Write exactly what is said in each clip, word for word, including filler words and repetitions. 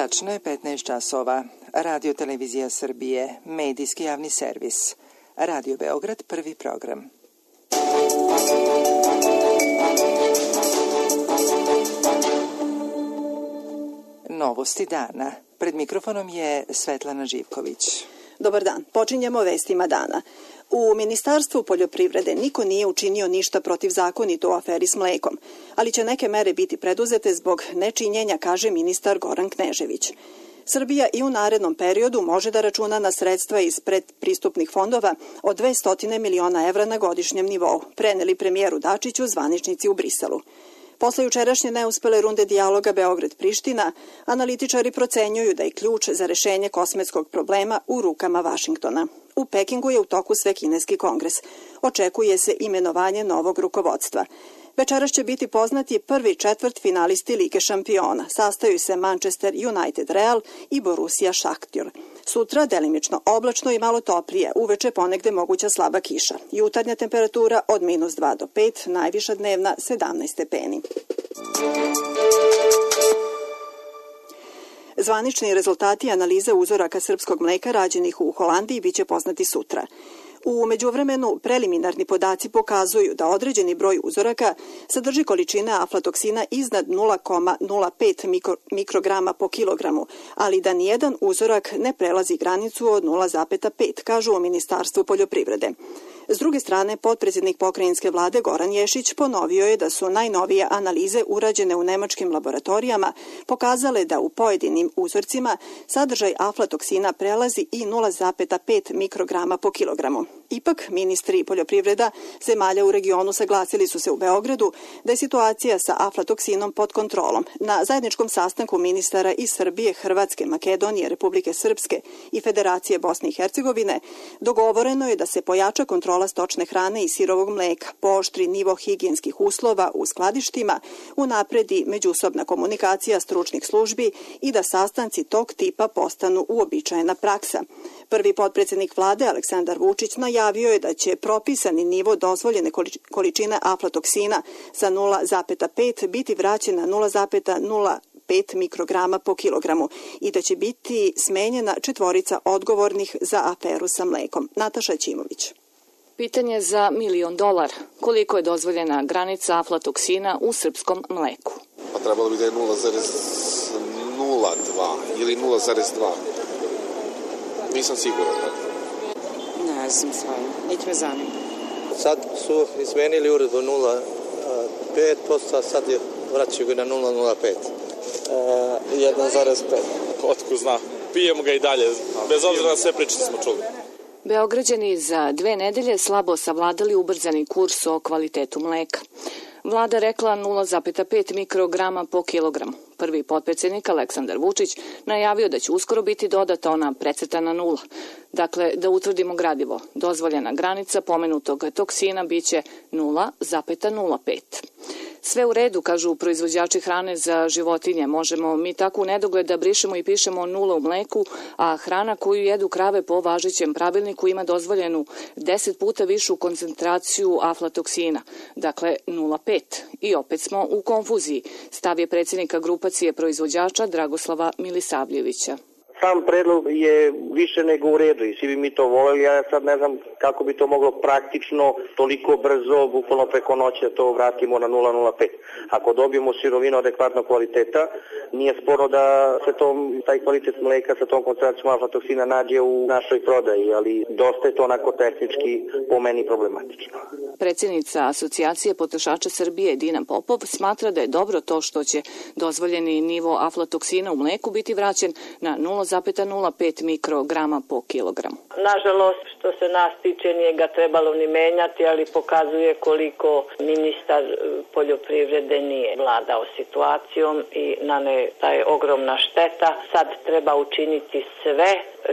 Tačno je petnaest časova. Radio Televizija Srbije, medijski javni servis. Radio Beograd, prvi program. Novosti dana. Pred mikrofonom je Svetlana Živković. Dobar dan. Počinjemo vestima dana. U Ministarstvu poljoprivrede niko nije učinio ništa protivzakonito u aferi s mlekom, ali će neke mere biti preduzete zbog nečinjenja, kaže ministar Goran Knežević. Srbija i u narednom periodu može da računa na sredstva iz predpristupnih fondova od dvesta miliona evra na godišnjem nivou, preneli premijeru Dačiću zvaničnici u Briselu. Posle jučerašnje neuspele runde dijaloga Beograd-Priština, analitičari procenjuju da je ključ za rešenje kosmetskog problema u rukama Vašingtona. U Pekingu je u toku Svekineski kongres. Očekuje se imenovanje novog rukovodstva. Večeras će biti poznati prvi četvrt finalisti Lige šampiona. Sastaju se Manchester United Real i Borussia Šahtjor. Sutra delimično oblačno i malo toplije, uveče ponegde moguća slaba kiša. Jutarnja temperatura od minus dva do pet, najviša dnevna sedamnaest stepeni. Zvanični rezultati analize uzoraka srpskog mleka rađenih u Holandiji biće poznati sutra. U međuvremenu preliminarni podaci pokazuju da određeni broj uzoraka sadrži količine aflatoksina iznad nula zarez nula pet mikrograma po kilogramu, ali da nijedan uzorak ne prelazi granicu od nula zarez pet, kažu u Ministarstvu poljoprivrede. S druge strane, potpredsjednik pokrajinske vlade Goran Ješić ponovio je da su najnovije analize urađene u nemačkim laboratorijama pokazale da u pojedinim uzorcima sadržaj aflatoksina prelazi i nula zarez pet mikrograma po kilogramu. Ipak, ministri poljoprivreda zemalja u regionu saglasili su se u Beogradu da je situacija sa aflatoksinom pod kontrolom. Na zajedničkom sastanku ministara iz Srbije, Hrvatske, Makedonije, Republike Srpske i Federacije Bosne i Hercegovine dogovoreno je da se pojača kontrola stočne hrane i sirovog mleka, pooštri nivo higijenskih uslova u skladištima, unapredi međusobna komunikacija stručnih službi i da sastanci tog tipa postanu uobičajena praksa. Prvi potpredsjednik vlade Aleksandar Vučić najavio je da će propisani nivo dozvoljene količine aflatoksina sa nula zarez pet biti vraćen na nula zarez nula pet mikrograma po kilogramu i da će biti smenjena četvorica odgovornih za aferu sa mlekom. Nataša Ćimović. Pitanje za milion dolara. Koliko je dozvoljena granica aflatoksina u srpskom mleku? Pa trebalo bi da je nula zarez nula dva ili nula zarez dva. Nisam siguran. Ne znam stvarno, niti me zanima. Sad su izmenili uredbu nula zarez pet posto, a sad je vraćaju ga na nula zarez nula pet. jedan zarez pet. Otko zna. Pijemo ga i dalje, bez obzira na sve priče smo čuli. Beograđani za dve nedelje slabo savladali ubrzani kurs o kvalitetu mleka. Vlada rekla nula zarez pet mikrograma po kilogramu. Prvi potpredsjednik Aleksandar Vučić najavio da će uskoro biti dodata ona precrtana nula. Dakle, da utvrdimo gradivo, dozvoljena granica pomenutog toksina biće nula zarez nula pet. Sve u redu, kažu proizvođači hrane za životinje. Možemo mi tako u nedogled da brišemo i pišemo nula u mleku, a hrana koju jedu krave po važećem pravilniku ima dozvoljenu deset puta višu koncentraciju aflatoksina, dakle nula zarez pet. I opet smo u konfuziji, stav je predsjednika grupacije proizvođača Dragoslava Milisavljevića. Sam predlog je više nego u redu i svi bi mi to voljeli, ja sad ne znam kako bi to moglo praktično toliko brzo, bukvalno preko noći da to vratimo na nula zarez nula pet. Ako dobijemo sirovinu adekvatnog kvaliteta, nije sporno da se to, taj kvalitet mleka sa tom koncentracijom aflatoksina nađe u našoj prodaji, ali dosta je to onako tehnički po meni problematično. Predsjednica Asocijacije potrošača Srbije Dina Popov smatra da je dobro to što će dozvoljeni nivo aflatoksina u mleku biti vraćen na nula zarez nula pet mikrograma po kilogramu. Nažalost, što se nas tiče, nije ga trebalo ni menjati, ali pokazuje koliko ministar poljoprivrede nije vladao situacijom i na ne ta je ogromna šteta. Sad treba učiniti sve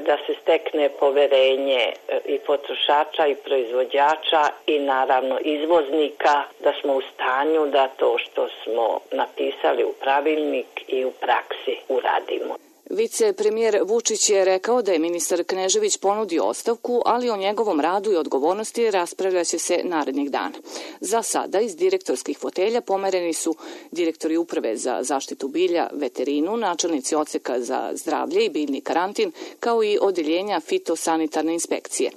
da se stekne poverenje i potrošača i proizvođača i naravno izvoznika, da smo u stanju da to što smo napisali u pravilnik i u praksi uradimo. Vicepremijer Vučić je rekao da je ministar Knežević ponudio ostavku, ali o njegovom radu i odgovornosti raspravljaće se narednih dana. Za sada iz direktorskih fotelja pomereni su direktori Uprave za zaštitu bilja, veterinu, načelnici odseka za zdravlje i biljni karantin, kao i odeljenja fitosanitarne inspekcije.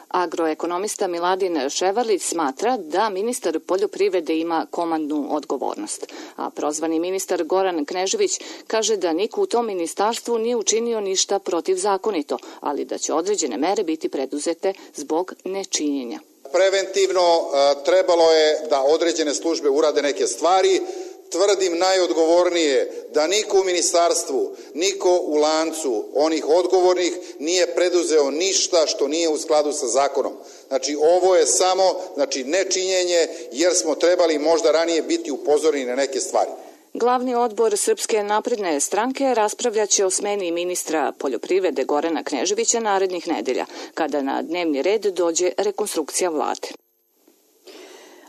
Agroekonomista Miladin Ševarlić smatra da ministar poljoprivrede ima komandnu odgovornost, a prozvani ministar Goran Knežević kaže da niko u tom ministarstvu nije učinio ništa protivzakonito, ali da će određene mere biti preduzete zbog nečinjenja. Preventivno trebalo je da određene službe urade neke stvari. Tvrdim najodgovornije da niko u ministarstvu, niko u lancu onih odgovornih nije preduzeo ništa što nije u skladu sa zakonom. Znači ovo je samo znači, nečinjenje jer smo trebali možda ranije biti upozoreni na neke stvari. Glavni odbor Srpske napredne stranke raspravljaće o smeni ministra poljoprivrede Gorana Kneževića narednih nedelja, kada na dnevni red dođe rekonstrukcija vlade.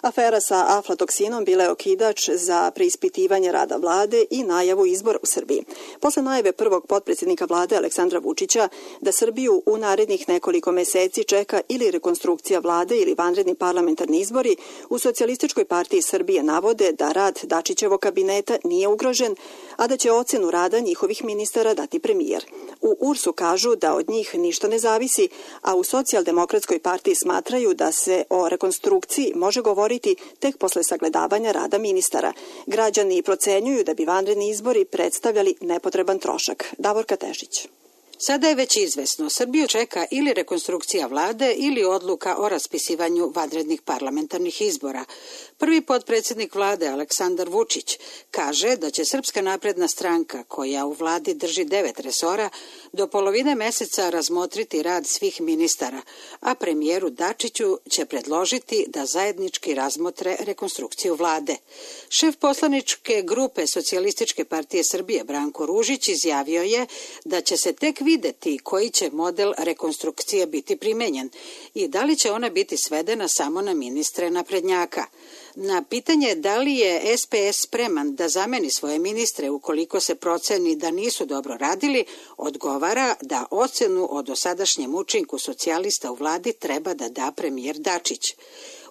Afera sa aflatoksinom bila je okidač za preispitivanje rada vlade i najavu izbora u Srbiji. Posle najave prvog potpredsjednika vlade Aleksandra Vučića da Srbiju u narednih nekoliko meseci čeka ili rekonstrukcija vlade ili vanredni parlamentarni izbori, u Socijalističkoj partiji Srbije navode da rad Dačićevog kabineta nije ugrožen, a da će ocenu rada njihovih ministara dati premijer. U U R S-u kažu da od njih ništa ne zavisi, a u Socijaldemokratskoj partiji smatraju da se o rekonstrukciji može govoriti tek posle sagledavanja rada ministara. Građani procenjuju da bi vanredni izbori predstavljali nepotreban trošak. Davorka Tešić. Sada je već izvesno, Srbiju čeka ili rekonstrukcija vlade ili odluka o raspisivanju vanrednih parlamentarnih izbora. Prvi potpredsjednik vlade Aleksandar Vučić kaže da će Srpska napredna stranka, koja u vladi drži devet resora, do polovine meseca razmotriti rad svih ministara, a premijeru Dačiću će predložiti da zajednički razmotre rekonstrukciju vlade. Šef poslaničke grupe Socijalističke partije Srbije Branko Ružić izjavio je da će se tek videti koji će model rekonstrukcije biti primenjen i da li će ona biti svedena samo na ministre naprednjaka. Na pitanje da li je S P S spreman da zameni svoje ministre ukoliko se proceni da nisu dobro radili, odgovara da ocenu o dosadašnjem učinku socijalista u vladi treba da da premijer Dačić.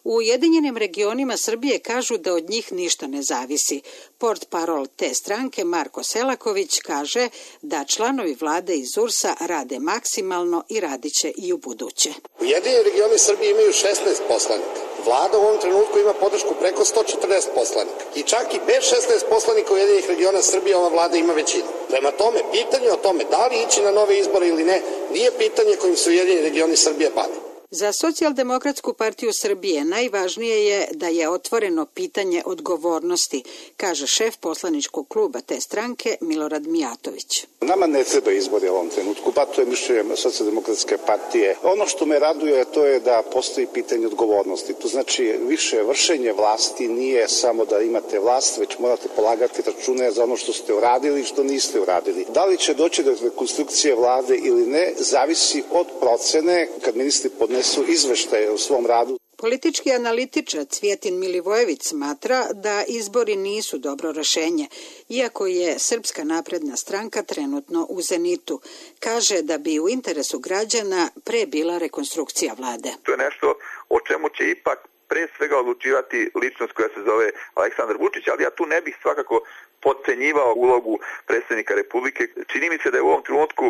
U Ujedinjenim regionima Srbije kažu da od njih ništa ne zavisi. Portparol te stranke Marko Selaković kaže da članovi vlade iz U R S-a rade maksimalno i radiće i u buduće. Ujedinjeni regioni Srbije imaju šesnaest poslanika. Vlada u ovom trenutku ima podršku preko sto četrdeset poslanika. I čak i bez šesnaest poslanika Ujedinjenih regiona Srbije ova vlada ima većinu. Prema tome, pitanje o tome da li ići na nove izbore ili ne, nije pitanje kojim se Ujedinjeni regioni Srbije bave. Za Socijaldemokratsku partiju Srbije najvažnije je da je otvoreno pitanje odgovornosti, kaže šef poslaničkog kluba te stranke Milorad Mijatović. Nama ne treba izbori u ovom trenutku, pa to je mišljenje Socijaldemokratske partije. Ono što me raduje to je da postoji pitanje odgovornosti. To znači više vršenje vlasti nije samo da imate vlast, već morate polagati račune za ono što ste uradili i što niste uradili. Da li će doći do rekonstrukcije vlade ili ne, zavisi od procene kad ministri podnesu su izveštaje u svom radu. Politički analitičar Cvjetin Milivojević smatra da izbori nisu dobro rešenje, iako je Srpska napredna stranka trenutno u zenitu. Kaže da bi u interesu građana pre bila rekonstrukcija vlade. To je nešto o čemu će ipak pre svega odlučivati ličnost koja se zove Aleksandar Vučić, ali ja tu ne bih svakako podcenjivao ulogu predsjednika Republike. Čini mi se da je u ovom trenutku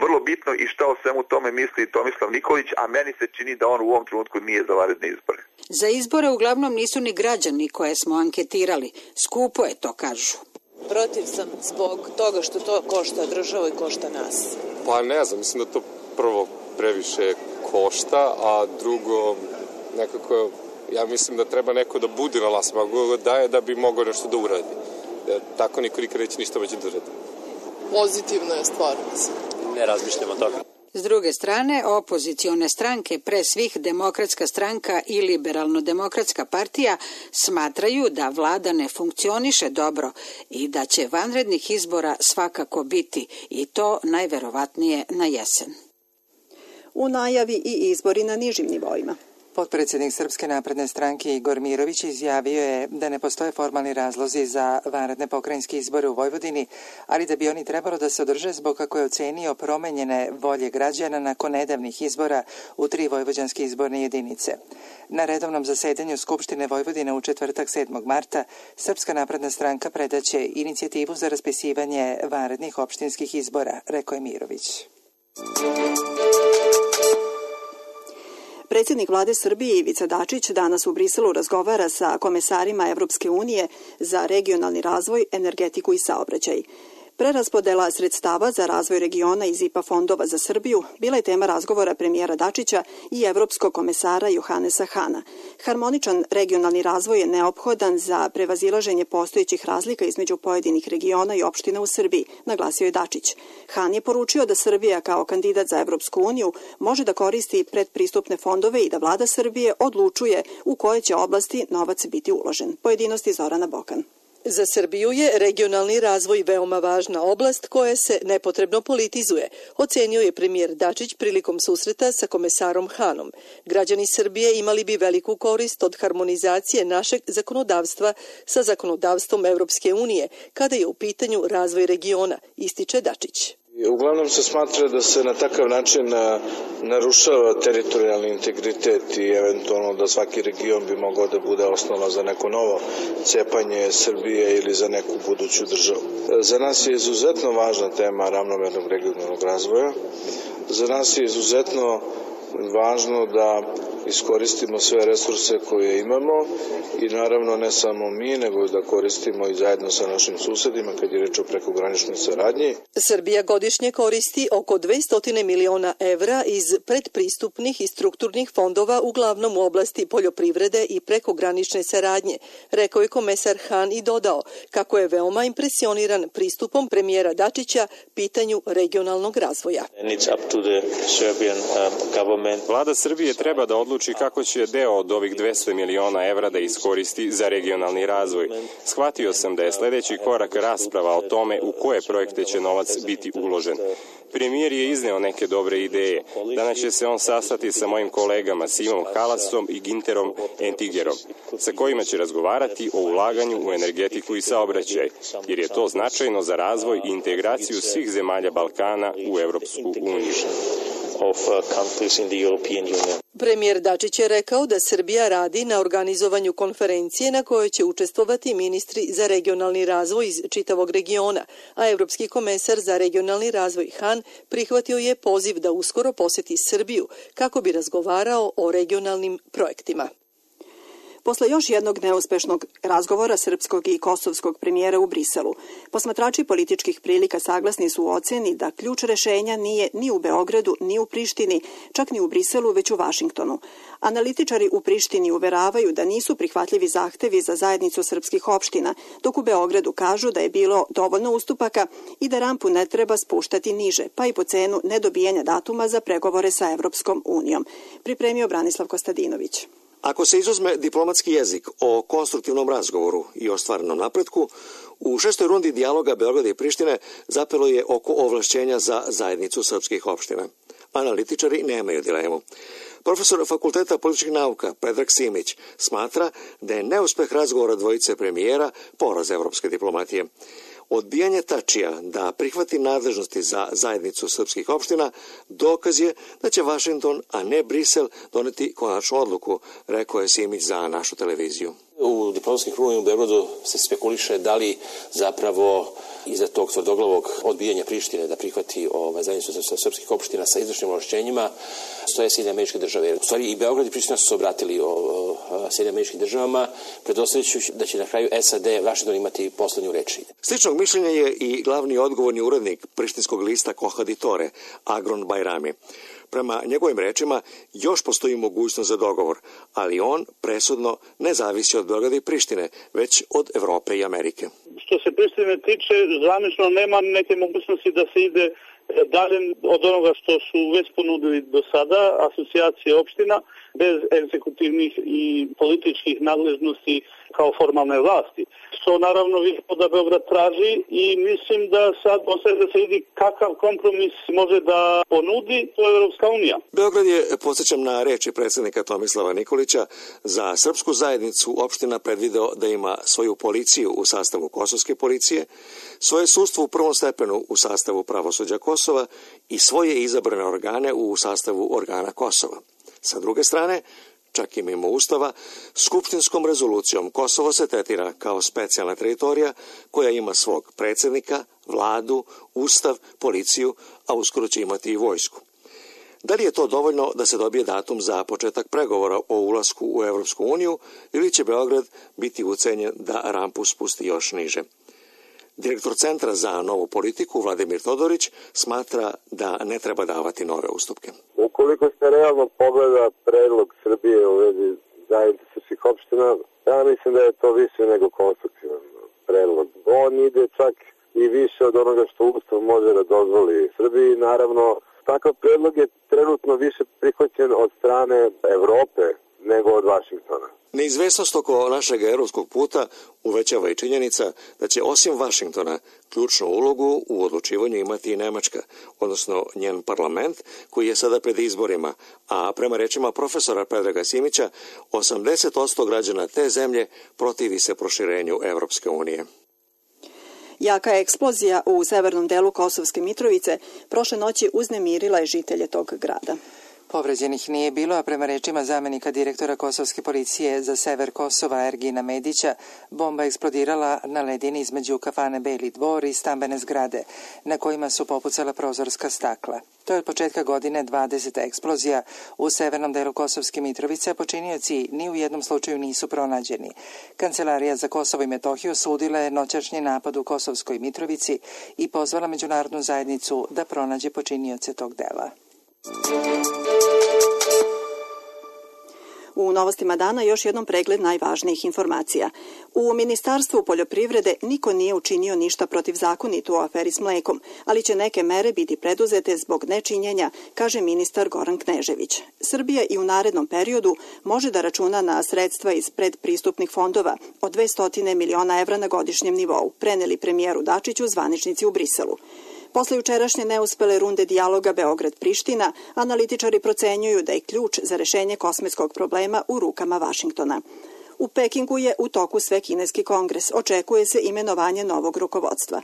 vrlo bitno i šta o svemu tome misli Tomislav Nikolić, a meni se čini da on u ovom trenutku nije za vanredne izbore. Za izbore uglavnom nisu ni građani koje smo anketirali. Skupo je to, kažu. Protiv sam zbog toga što to košta državu i košta nas. Pa ne znam, mislim da to prvo previše košta, a drugo nekako ja mislim da treba neko da bude na vlasti, mogu da je da bi mogao nešto da uradi. Tako niko nikad neće ništa moći da uradi. Pozitivna je stvar, mislim. Ne razmišljamo tako. S druge strane, opozicione stranke, pre svih Demokratska stranka i Liberalno-demokratska partija, smatraju da vlada ne funkcioniše dobro i da će vanrednih izbora svakako biti, i to najverovatnije na jesen. U najavi i izbori na nižim nivoima. Potpredsjednik Srpske napredne stranke Igor Mirović izjavio je da ne postoje formalni razlozi za vanredne pokrajinske izbore u Vojvodini, ali da bi oni trebalo da se održe zbog kako je ocenio promenjene volje građana nakon nedavnih izbora u tri vojvođanske izborne jedinice. Na redovnom zasedanju Skupštine Vojvodine u četvrtak sedmog marta Srpska napredna stranka predaće inicijativu za raspisivanje vanrednih opštinskih izbora, rekao je Mirović. Predsjednik vlade Srbije Ivica Dačić danas u Briselu razgovara sa komesarima Evropske unije za regionalni razvoj, energetiku i saobraćaj. Preraspodela sredstava za razvoj regiona iz I P A fondova za Srbiju bila je tema razgovora premijera Dačića i evropskog komesara Johannesa Hana. Harmoničan regionalni razvoj je neophodan za prevazilaženje postojećih razlika između pojedinih regiona i opština u Srbiji, naglasio je Dačić. Han je poručio da Srbija kao kandidat za Evropsku uniju može da koristi predpristupne fondove i da vlada Srbije odlučuje u koje će oblasti novac biti uložen. Pojedinosti Zorana Bokan. Za Srbiju je regionalni razvoj veoma važna oblast koja se nepotrebno politizuje, ocenio je premijer Dačić prilikom susreta sa komesarom Hanom. Građani Srbije imali bi veliku korist od harmonizacije našeg zakonodavstva sa zakonodavstvom Evropske unije, kada je u pitanju razvoj regiona, ističe Dačić. Uglavnom se smatra da se na takav način narušava teritorijalni integritet i eventualno da svaki region bi mogao da bude osnova za neko novo cepanje Srbije ili za neku buduću državu. Za nas je izuzetno važna tema ravnomernog regionalnog razvoja. Za nas je izuzetno važno da iskoristimo sve resurse koje imamo i naravno ne samo mi, nego da koristimo i zajedno sa našim susedima kad je reč o prekograničnoj saradnji. Srbija godišnje koristi oko dvesta miliona evra iz predpristupnih i strukturnih fondova, uglavnom u oblasti poljoprivrede i prekogranične saradnje, rekao je komesar Han i dodao kako je veoma impresioniran pristupom premijera Dačića pitanju regionalnog razvoja. Vlada Srbije treba da odluči kako će deo od ovih dvesta miliona evra da iskoristi za regionalni razvoj. Shvatio sam da je sledeći korak rasprava o tome u koje projekte će novac biti uložen. Premijer je izneo neke dobre ideje. Danas će se on sastati sa mojim kolegama Simom Halasom i Ginterom Entigerom, sa kojima će razgovarati o ulaganju u energetiku i saobraćaj, jer je to značajno za razvoj i integraciju svih zemalja Balkana u Evropsku uniju. Premijer Dačić je rekao da Srbija radi na organizovanju konferencije na kojoj će učestvovati ministri za regionalni razvoj iz čitavog regiona, a evropski komesar za regionalni razvoj Han prihvatio je poziv da uskoro poseti Srbiju kako bi razgovarao o regionalnim projektima. Posle još jednog neuspešnog razgovora srpskog i kosovskog premijera u Briselu, posmatrači političkih prilika saglasni su u oceni da ključ rešenja nije ni u Beogradu, ni u Prištini, čak ni u Briselu, već u Vašingtonu. Analitičari u Prištini uveravaju da nisu prihvatljivi zahtevi za zajednicu srpskih opština, dok u Beogradu kažu da je bilo dovoljno ustupaka i da rampu ne treba spuštati niže, pa i po cenu nedobijanja datuma za pregovore sa Evropskom unijom. Pripremio Branislav Kostadinović. Ako se izuzme diplomatski jezik o konstruktivnom razgovoru i ostvarenom napretku, u šestoj rundi dijaloga Beograda i Prištine zapelo je oko ovlašćenja za zajednicu srpskih opština. Analitičari nemaju dilemu. Profesor Fakulteta političkih nauka Predrag Simić smatra da je neuspeh razgovora dvojice premijera poraz evropske diplomatije. Odbijanje Tačija da prihvati nadležnosti za zajednicu srpskih opština dokaz je da će Vašington, a ne Brisel, doneti konačnu odluku, rekao je Simić za našu televiziju. U diplomatskim krugovima u Beogradu se spekuliše da li zapravo iza tog tvrdoglavog odbijanja Prištine da prihvati ovaj, zajednicu srpskih opština sa izvršnim ovlašćenjima stoje Sjedinjene Američke Države. U stvari i Beograd i Priština su se obratili o, o Sjedinjenim Američkim Državama, predstavljajući da će na kraju S A D Vašington imati poslednju reč. Sličnog mišljenja je i glavni odgovorni urednik prištinskog lista Kohaditore, Agron Bajrami. Prema njegovim rečima, još postoji mogućnost za dogovor, ali on presudno ne zavisi od Beograda i Prištine, već od Evrope i Amerike. Što se Prištine tiče, zvanično nema neke mogućnosti da se ide dalje od onoga što su već ponudili do sada, asocijacije opština, bez egzekutivnih i političkih nadležnosti kao formalne vlasti. Što naravno da Beograd traži i mislim da sad ostaje da se vidi kakav kompromis može da ponudi, to je Evropska unija. Beograd je, podsjećam na reči predsjednika Tomislava Nikolića, za srpsku zajednicu opština predvideo da ima svoju policiju u sastavu kosovske policije, svoje sudstvo u prvom stepenu u sastavu pravosuđa Kosova i svoje izabrane organe u sastavu organa Kosova. Sa druge strane, čak i mimo Ustava, skupštinskom rezolucijom Kosovo se tretira kao specijalna teritorija koja ima svog predsjednika, vladu, ustav, policiju, a uskoro će imati i vojsku. Da li je to dovoljno da se dobije datum za početak pregovora o ulasku u Evropsku uniju ili će Beograd biti ucenjen da rampu spusti još niže? Direktor Centra za novu politiku Vladimir Todorić smatra da ne treba davati nove ustupke. Ukoliko se realno pogleda predlog Srbije u vezi zajednice srpskih opština, ja mislim da je to više nego konstruktivan predlog. On ide čak i više od onoga što Ustav može da dozvoli Srbiji. Naravno, takav predlog je trenutno više prihvaćen od strane Evrope nego od Vašingtona. Neizvesnost oko našeg evropskog puta uvećava i činjenica da će osim Vašingtona ključnu ulogu u odlučivanju imati i Nemačka, odnosno njen parlament koji je sada pred izborima, a prema rečima profesora Predraga Simića, osamdeset posto građana te zemlje protivi se proširenju Evropske unije. Jaka eksplozija u severnom delu Kosovske Mitrovice prošle noći uznemirila je žitelje tog grada. Povređenih nije bilo, a prema rečima zamenika direktora Kosovske policije za sever Kosova Ergina Medića, bomba eksplodirala na ledini između kafane Beli dvor i stambene zgrade, na kojima su popucala prozorska stakla. To je od početka godine dvadeseta eksplozija u severnom delu Kosovske Mitrovice, a počinioci ni u jednom slučaju nisu pronađeni. Kancelarija za Kosovo i Metohiju osudila je noćašnji napad u Kosovskoj Mitrovici i pozvala međunarodnu zajednicu da pronađe počinioce tog dela. U novostima dana još jednom pregled najvažnijih informacija. U Ministarstvu poljoprivrede niko nije učinio ništa protivzakonito u aferi s mlekom, ali će neke mere biti preduzete zbog nečinjenja, kaže ministar Goran Knežević. Srbija i u narednom periodu može da računa na sredstva iz predpristupnih fondova od dvesta miliona evra na godišnjem nivou, preneli premijeru Dačiću zvaničnici u Briselu. Posle jučerašnje neuspele runde dijaloga Beograd-Priština, analitičari procenjuju da je ključ za rešenje kosmetskog problema u rukama Vašingtona. U Pekingu je u toku Svekineski kongres. Očekuje se imenovanje novog rukovodstva.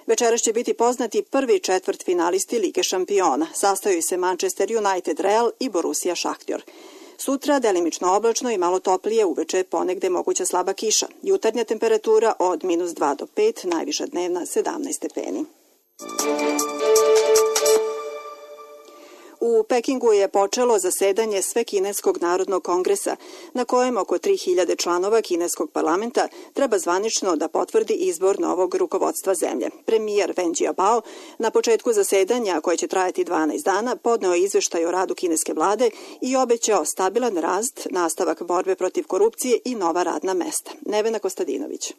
Večeras će biti poznati prvi četvrt finalisti Lige šampiona. Sastaju se Manchester United, Real i Borussia Šahtjor. Sutra delimično oblačno i malo toplije, uveče ponegde moguća slaba kiša. Jutarnja temperatura od minus dva do pet, najviša dnevna sedamnaest stepeni. U Pekingu je počelo zasedanje Svekineskog narodnog kongresa, na kojem oko tri hiljade članova kineskog parlamenta treba zvanično da potvrdi izbor novog rukovodstva zemlje. Premijer Wen Jiabao na početku zasedanja, koje će trajati dvanaest dana, podneo izveštaj o radu kineske vlade i obećao stabilan rast, nastavak borbe protiv korupcije i nova radna mesta. Nevena Kostadinović.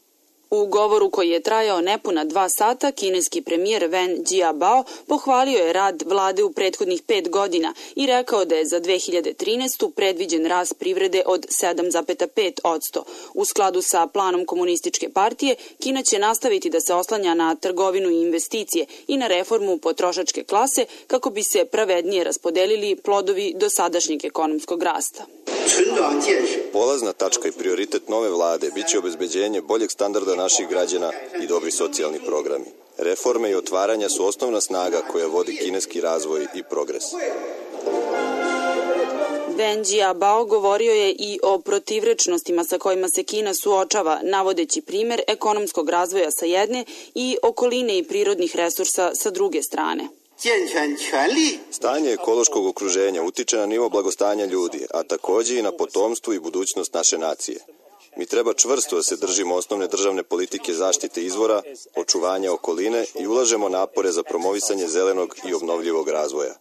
U govoru koji je trajao nepuna dva sata, kineski premijer Wen Jiabao pohvalio je rad vlade u prethodnih pet godina i rekao da je za dve hiljade trinaestu. predviđen rast privrede od sedam zarez pet posto. U skladu sa planom komunističke partije, Kina će nastaviti da se oslanja na trgovinu i investicije i na reformu potrošačke klase kako bi se pravednije raspodelili plodovi dosadašnjeg ekonomskog rasta. Polazna tačka i prioritet nove vlade biće obezbeđenje boljeg standarda naših građana i dobri socijalni programi. Reforme i otvaranja su osnovna snaga koja vodi kineski razvoj i progres. Wen Jiabao govorio je i o protivrečnostima sa kojima se Kina suočava, navodeći primer ekonomskog razvoja sa jedne i okoline i prirodnih resursa sa druge strane. Stanje ekološkog okruženja utiče na nivo blagostanja ljudi, a takođe i na potomstvo i budućnost naše nacije. Mi treba čvrsto da se držimo osnovne državne politike zaštite izvora, očuvanja okoline i ulažemo napore za promovisanje zelenog i obnovljivog razvoja.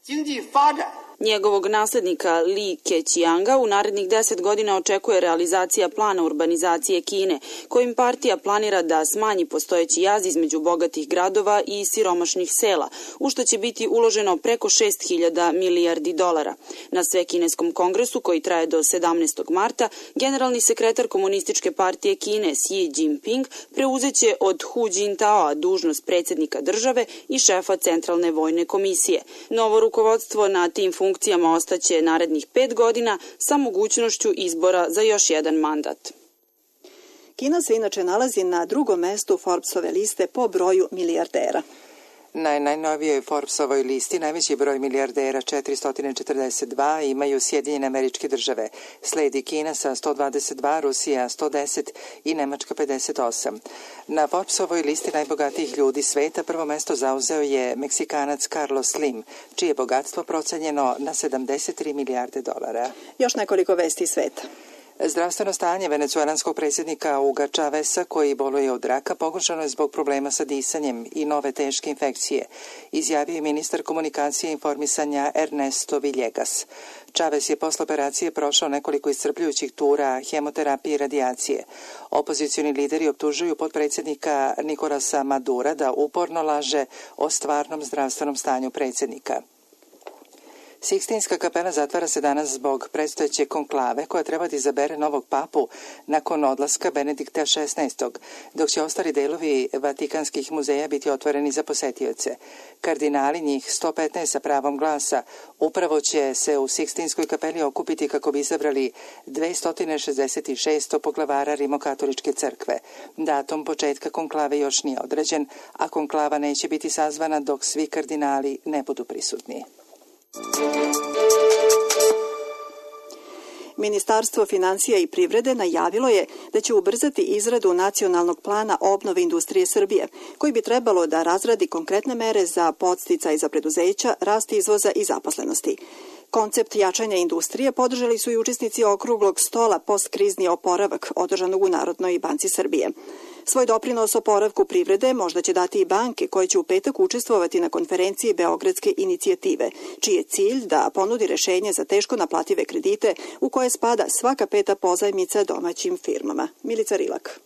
Njegovog naslednika Li Keqianga u narednih deset godina očekuje realizacija plana urbanizacije Kine, kojim partija planira da smanji postojeći jaz između bogatih gradova i siromašnih sela, u što će biti uloženo preko šest hiljada milijardi dolara. Na Svekineskom kongresu, koji traje do sedamnaestog marta, generalni sekretar Komunističke partije Kine Xi Jinping preuzeće od Hu Jintaoa dužnost predsjednika države i šefa Centralne vojne komisije. Novo rukovodstvo na tim funkcijama ostaće narednih pet godina sa mogućnošću izbora za još jedan mandat. Kina se inače nalazi na drugom mestu Forbesove liste po broju milijardera. Na najnovijoj Forbesovoj listi najveći broj milijardera četiristo četrdeset dva imaju Sjedinjene Američke Države. Sledi Kina sa sto dvadeset dva, Rusija sto deset i Nemačka pedeset osam. Na Forbesovoj listi najbogatijih ljudi sveta prvo mesto zauzeo je Meksikanac Carlos Slim, čije je bogatstvo procenjeno na sedamdeset tri milijarde dolara. Još nekoliko vesti sveta. Zdravstveno stanje venecuelanskog predsjednika Huga Chaveza, koji boluje od raka, pogoršano je zbog problema sa disanjem i nove teške infekcije, izjavio je ministar komunikacije i informisanja Ernesto Villegas. Chavez je posle operacije prošao nekoliko iscrpljujućih tura hemoterapije i radijacije. Opozicioni lideri optužuju potpredsjednika Nicolasa Madura da uporno laže o stvarnom zdravstvenom stanju predsjednika. Sikstinska kapela zatvara se danas zbog predstojeće konklave koja treba da izabere novog papu nakon odlaska Benedikta šesnaestog, dok će ostali delovi vatikanskih muzeja biti otvoreni za posetioce. Kardinali, njih sto petnaest sa pravom glasa, upravo će se u Sikstinskoj kapeli okupiti kako bi izabrali dvesta šezdeset šest poglavara Rimokatoličke crkve. Datum početka konklave još nije određen, a konklava neće biti sazvana dok svi kardinali ne budu prisutni. Ministarstvo finansija i privrede najavilo je da će ubrzati izradu nacionalnog plana obnove industrije Srbije, koji bi trebalo da razradi konkretne mere za podsticaj za preduzeća, rast izvoza i zaposlenosti. Koncept jačanja industrije podržali su i učesnici okruglog stola postkrizni oporavak održanog u Narodnoj banci Srbije. Svoj doprinos oporavku privrede možda će dati i banke koje će u petak učestvovati na konferenciji Beogradske inicijative, čiji je cilj da ponudi rešenje za teško naplative kredite u koje spada svaka peta pozajmica domaćim firmama. Milica Rilak.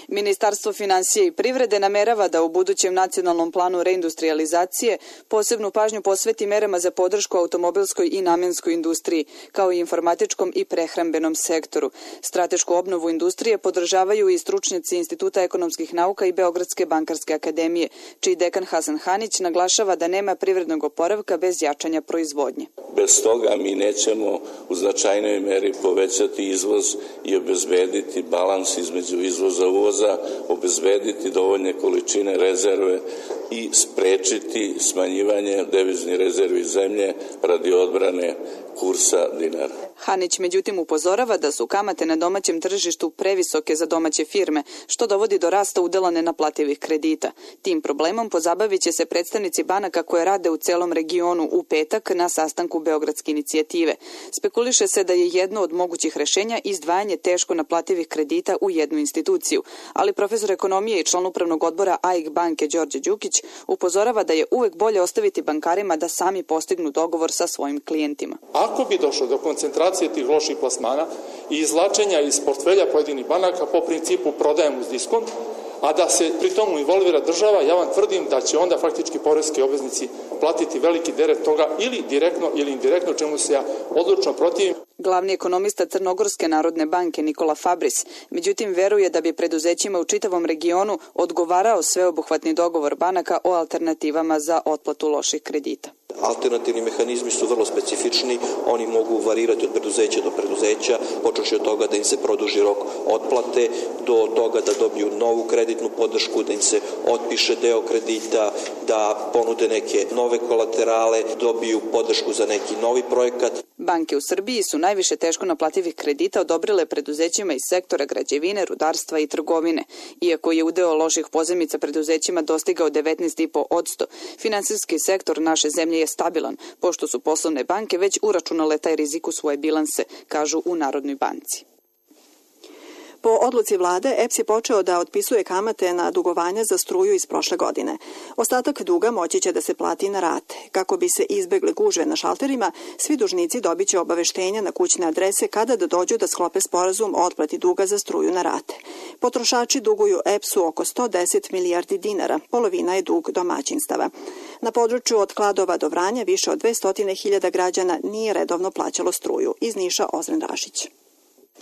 Ministarstvo finansija i privrede namerava da u budućem nacionalnom planu reindustrializacije posebnu pažnju posveti merama za podršku automobilskoj i namenskoj industriji, kao i informatičkom i prehrambenom sektoru. Stratešku obnovu industrije podržavaju i stručnjaci Instituta ekonomskih nauka i Beogradske bankarske akademije, čiji dekan Hasan Hanić naglašava da nema privrednog oporavka bez jačanja proizvodnje. Bez toga mi nećemo u značajnoj meri povećati izvoz i obezbediti balans između izvoza i uvoza, obezbediti dovoljne količine rezerve i sprečiti smanjivanje deviznih rezervi zemlje radi odbrane kursa dinara. Hanić međutim upozorava da su kamate na domaćem tržištu previsoke za domaće firme, što dovodi do rasta udela nenaplativih kredita. Tim problemom pozabavit će se predstavnici banaka koje rade u celom regionu u petak na sastanku Beogradske inicijative. Spekuliše se da je jedno od mogućih rešenja izdvajanje teško naplativih kredita u jednu instituciju, ali profesor ekonomije i član upravnog odbora A I K banke Đorđe Đukić upozorava da je uvek bolje ostaviti bankarima da sami postignu dogovor sa svojim klijentima. Ako bi došlo do koncentracije tih loših plasmana i izvlačenja iz portfelja pojedinih banaka po principu prodajem uz diskont, a da se pri tomu involvira država, ja vam tvrdim da će onda faktički poreski obveznici platiti veliki teret toga ili direktno ili indirektno, čemu se ja odlučno protivim. Glavni ekonomista Crnogorske narodne banke Nikola Fabris, međutim veruje da bi preduzećima u čitavom regionu odgovarao sveobuhvatni dogovor banaka o alternativama za otplatu loših kredita. Alternativni mehanizmi su vrlo specifični, oni mogu varirati od preduzeća do preduzeća, počeši od toga da im se produži rok otplate, do toga da dobiju novu kreditnu podršku, da im se otpiše deo kredita, da ponude neke nove kolaterale, dobiju podršku za neki novi projekat. Banke u Srbiji su najviše teško naplativih kredita odobrile preduzećima iz sektora građevine, rudarstva i trgovine. Iako je udeo loših pozajmica preduzećima dostigao devetnaest zarez pet posto, finansijski sektor naše zemlje je stabilan, pošto su poslovne banke već uračunale taj rizik u svoje bilanse, kažu u Narodnoj banci. Po odluci vlade, E P S je počeo da otpisuje kamate na dugovanja za struju iz prošle godine. Ostatak duga moći će da se plati na rate. Kako bi se izbegle gužve na šalterima, svi dužnici dobit će obaveštenja na kućne adrese kada da dođu da sklope sporazum o otplati duga za struju na rate. Potrošači duguju E P S-u oko sto deset milijardi dinara, polovina je dug domaćinstava. Na području od Kladova do Vranja više od dvesta hiljada građana nije redovno plaćalo struju. Iz Niša Ozren Rašić.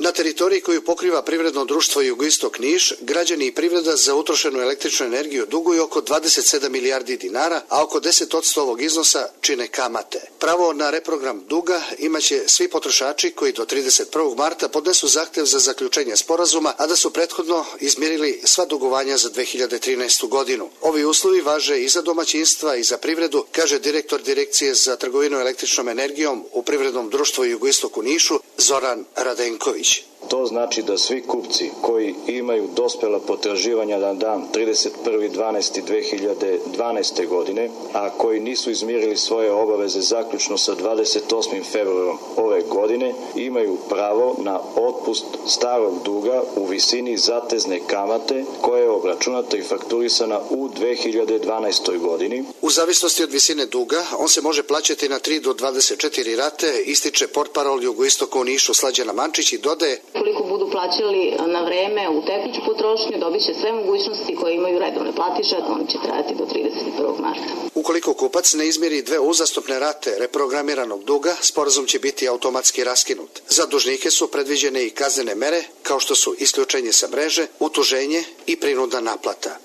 Na teritoriji koju pokriva privredno društvo Jugoistok Niš, građani i privreda za utrošenu električnu energiju duguju oko dvadeset sedam milijardi dinara, a oko deset posto ovog iznosa čine kamate. Pravo na reprogram duga imaće svi potrošači koji do trideset prvog marta podnesu zahtev za zaključenje sporazuma, a da su prethodno izmirili sva dugovanja za dve hiljade trinaestu godinu. Ovi uslovi važe i za domaćinstva i za privredu, kaže direktor Direkcije za trgovinu električnom energijom u privrednom društvu Jugoistok u Nišu, Zoran Radenković. To znači da svi kupci koji imaju dospela potraživanja na dan trideset prvi decembar dve hiljade dvanaeste. godine, a koji nisu izmirili svoje obaveze zaključno sa dvadeset osmim februarom ove godine, imaju pravo na otpust starog duga u visini zatezne kamate koja je obračunata i fakturisana u dve hiljade dvanaestoj. godini. U zavisnosti od visine duga, on se može plaćati na tri do dvadeset četiri rate, ističe portparol Jugoistoka u Nišu Slađana Mančić i dodaje: Koliko budu plaćali na vreme u tekuću potrošnju, dobit će sve mogućnosti koje imaju redovne platiše, oni će trajati do trideset prvog marta. Ukoliko kupac ne izmiri dve uzastopne rate reprogramiranog duga, sporazum će biti automatski raskinut. Za dužnike su predviđene i kaznene mere, kao što su isključenje sa mreže, utuženje i prinudna naplata.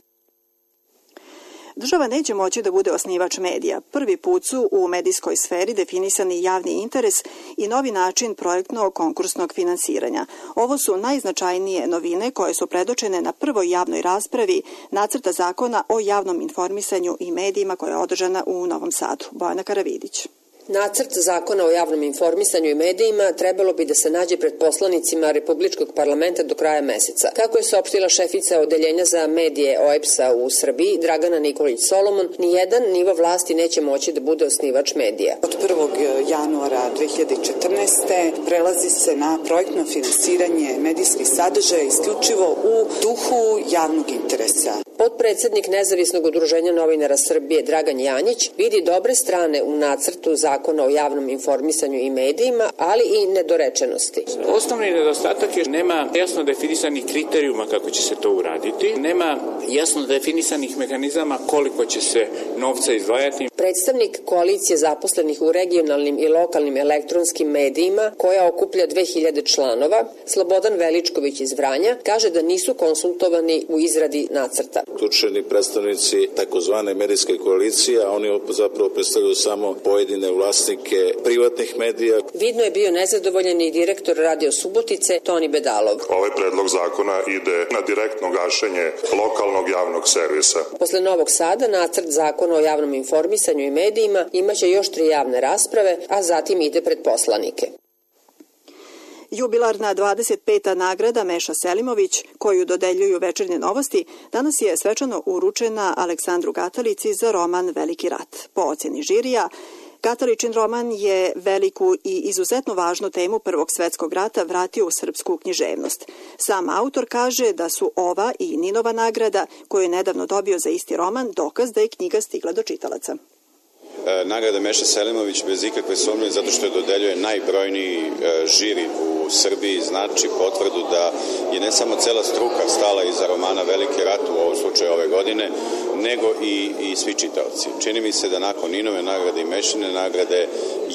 Država neće moći da bude osnivač medija. Prvi put su u medijskoj sferi definisani javni interes i novi način projektnog konkursnog finansiranja. Ovo su najznačajnije novine koje su predočene na prvoj javnoj raspravi Nacrta zakona o javnom informisanju i medijima koja je održana u Novom Sadu. Bojana Karavidić. Nacrt zakona o javnom informisanju i medijima trebalo bi da se nađe pred poslanicima Republičkog parlamenta do kraja meseca. Kako je saopštila šefica odeljenja za medije O E P S-a u Srbiji, Dragana Nikolić Solomon, nijedan nivo vlasti neće moći da bude osnivač medija. Od prvog januara dve hiljade četrnaeste. prelazi se na projektno finansiranje medijskih sadržaja isključivo u duhu javnog interesa. Potpredsednik Nezavisnog udruženja novinara Srbije Dragan Janjić vidi dobre strane u nacrtu zakona o javnom informisanju i medijima, ali i nedorečenosti. Osnovni nedostatak je nema jasno definisanih kriterijuma kako će se to uraditi, nema jasno definisanih mehanizama koliko će se novca izdvajati. Predstavnik koalicije zaposlenih u regionalnim i lokalnim elektronskim medijima, koja okuplja dve hiljade članova, Slobodan Veličković iz Vranja, kaže da nisu konsultovani u izradi nacrta. Uključeni predstavnici takozvane medijske koalicije, a oni zapravo predstavljaju samo pojedine vlasnike privatnih medija. Vidno je bio nezadovoljan i direktor Radio Subotice Toni Bedalov. Ovaj predlog zakona ide na direktno gašenje lokalnog javnog servisa. Posle Novog Sada nacrt zakona o javnom informisanju i medijima imaće još tri javne rasprave, a zatim ide pred poslanike. Jubilarna dvadeset peta nagrada Meša Selimović, koju dodeljuju Večernje novosti, danas je svečano uručena Aleksandru Gatalici za roman Veliki rat. Po ocjeni žirija, Gataličin roman je veliku i izuzetno važnu temu Prvog svetskog rata vratio u srpsku književnost. Sam autor kaže da su ova i Ninova nagrada, koju je nedavno dobio za isti roman, dokaz da je knjiga stigla do čitalaca. Nagrada Meša Selimović bez ikakve sumnje, zato što je dodeljuje najbrojniji žiri u Srbiji, znači potvrdu da je ne samo cela struka stala iza romana Veliki rat, u ovom slučaju ove godine, nego i, i svi čitaoci. Čini mi se da nakon Ninove nagrade i Mešine nagrade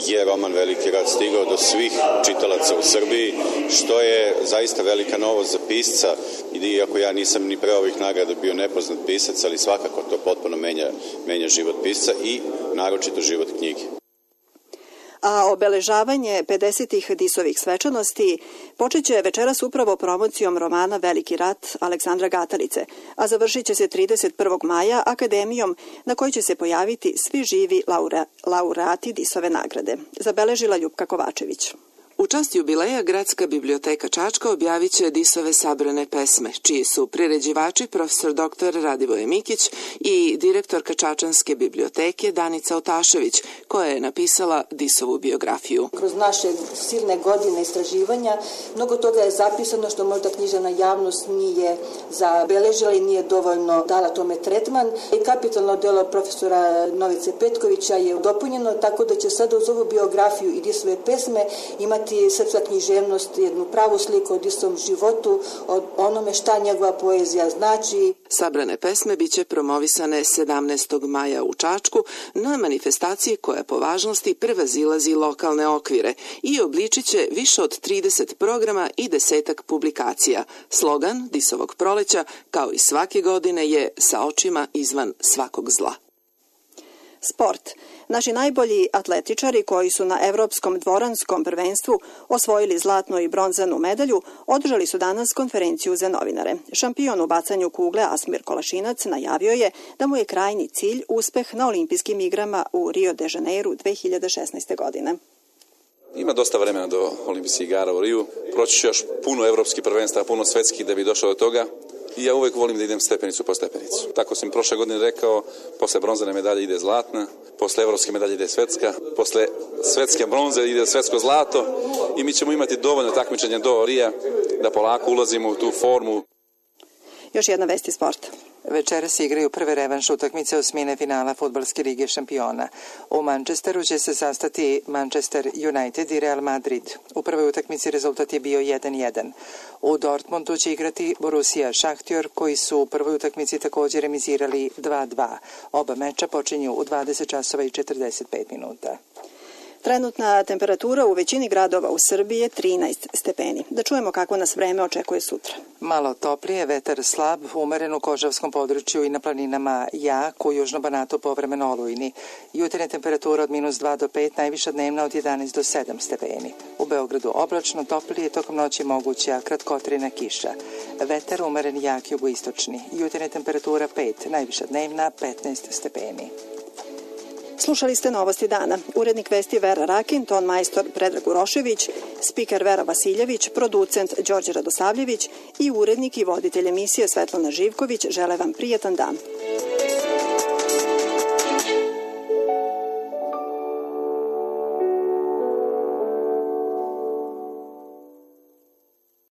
je roman Veliki rat stigao do svih čitalaca u Srbiji, što je zaista velika novost za pisca, iako ja nisam ni pre ovih nagrada bio nepoznat pisac, ali svakako to potpuno menja, menja život pisca i naročito život knjige. A obeležavanje pedesetih Disovih svečanosti počeće večeras upravo promocijom romana Veliki rat Aleksandra Gatalice, a završit će se trideset prvog maja akademijom na kojoj će se pojaviti svi živi laura, laureati Disove nagrade. Zabeležila Ljupka Kovačević. U čast jubileja Gradska biblioteka Čačka objavit će Disove sabrane pesme, čiji su priređivači profesor doktor Radivoje Mikić i direktorka Čačanske biblioteke Danica Otašević, koja je napisala Disovu biografiju. Kroz naše silne godine istraživanja mnogo toga je zapisano što možda književna javnost nije zabeležila i nije dovoljno dala tome tretman. I kapitalno delo profesora Novice Petkovića je dopunjeno, tako da će sada uz ovu biografiju i Disove pesme imati srpska književnost jednu pravu sliku o Disovom životu, o onome šta njegova poezija znači. Sabrane pesme biće promovisane sedamnaestog maja u Čačku na manifestaciji koja po važnosti prevazilazi lokalne okvire i obličit će više od trideset programa i desetak publikacija. Slogan Disovog proleća, kao i svake godine, je sa očima izvan svakog zla. Sport. Naši najbolji atletičari koji su na Evropskom dvoranskom prvenstvu osvojili zlatnu i bronzanu medalju održali su danas konferenciju za novinare. Šampion u bacanju kugle Asmir Kolašinac najavio je da mu je krajnji cilj uspeh na olimpijskim igrama u Rio de Janeiru dve hiljade šesnaeste. godine. Ima dosta vremena do olimpijskih igara u Riju. Proći ću još puno evropskih prvenstva, puno svetskih da bi došao do toga. I ja uvek volim da idem stepenicu po stepenicu. Tako sam prošle godine rekao, posle bronzane medalje ide zlatna, posle evropske medalje ide svetska, posle svetske bronze ide svetsko zlato i mi ćemo imati dovoljno takmičenja do Rija da polako ulazimo u tu formu. Još jedna vest iz sporta. Večeras igraju prve revanš utakmice osmine finala Fudbalske lige šampiona. U Manchesteru će se sastati Manchester United i Real Madrid. U prvoj utakmici rezultat je bio jedan jedan. U Dortmundu će igrati Borussia Šahtjor, koji su u prvoj utakmici također remizirali dva dva. Oba meča počinju u dvadeset časova i četrdeset pet minuta. Trenutna temperatura u većini gradova u Srbiji je trinaest stepeni. Da čujemo kako nas vreme očekuje sutra. Malo toplije, vetar slab, umeren u Kožavskom području i na planinama jak, u južnom Banatu povremeno olujni. Jutarnja temperatura od minus dva do pet, najviša dnevna od jedanaest do sedam stepeni. U Beogradu oblačno, toplije, tokom noći moguća kratkotrajna kiša. Vetar umeren jak jugoistočni. Jutarnja temperatura pet, najviša dnevna petnaest stepeni. Slušali ste Novosti dana. Urednik vesti Vera Rakin, ton majstor Predrag Urošević, spiker Vera Vasiljević, producent Đorđe Radosavljević i urednik i voditelj emisije Svetlana Živković žele vam prijetan dan.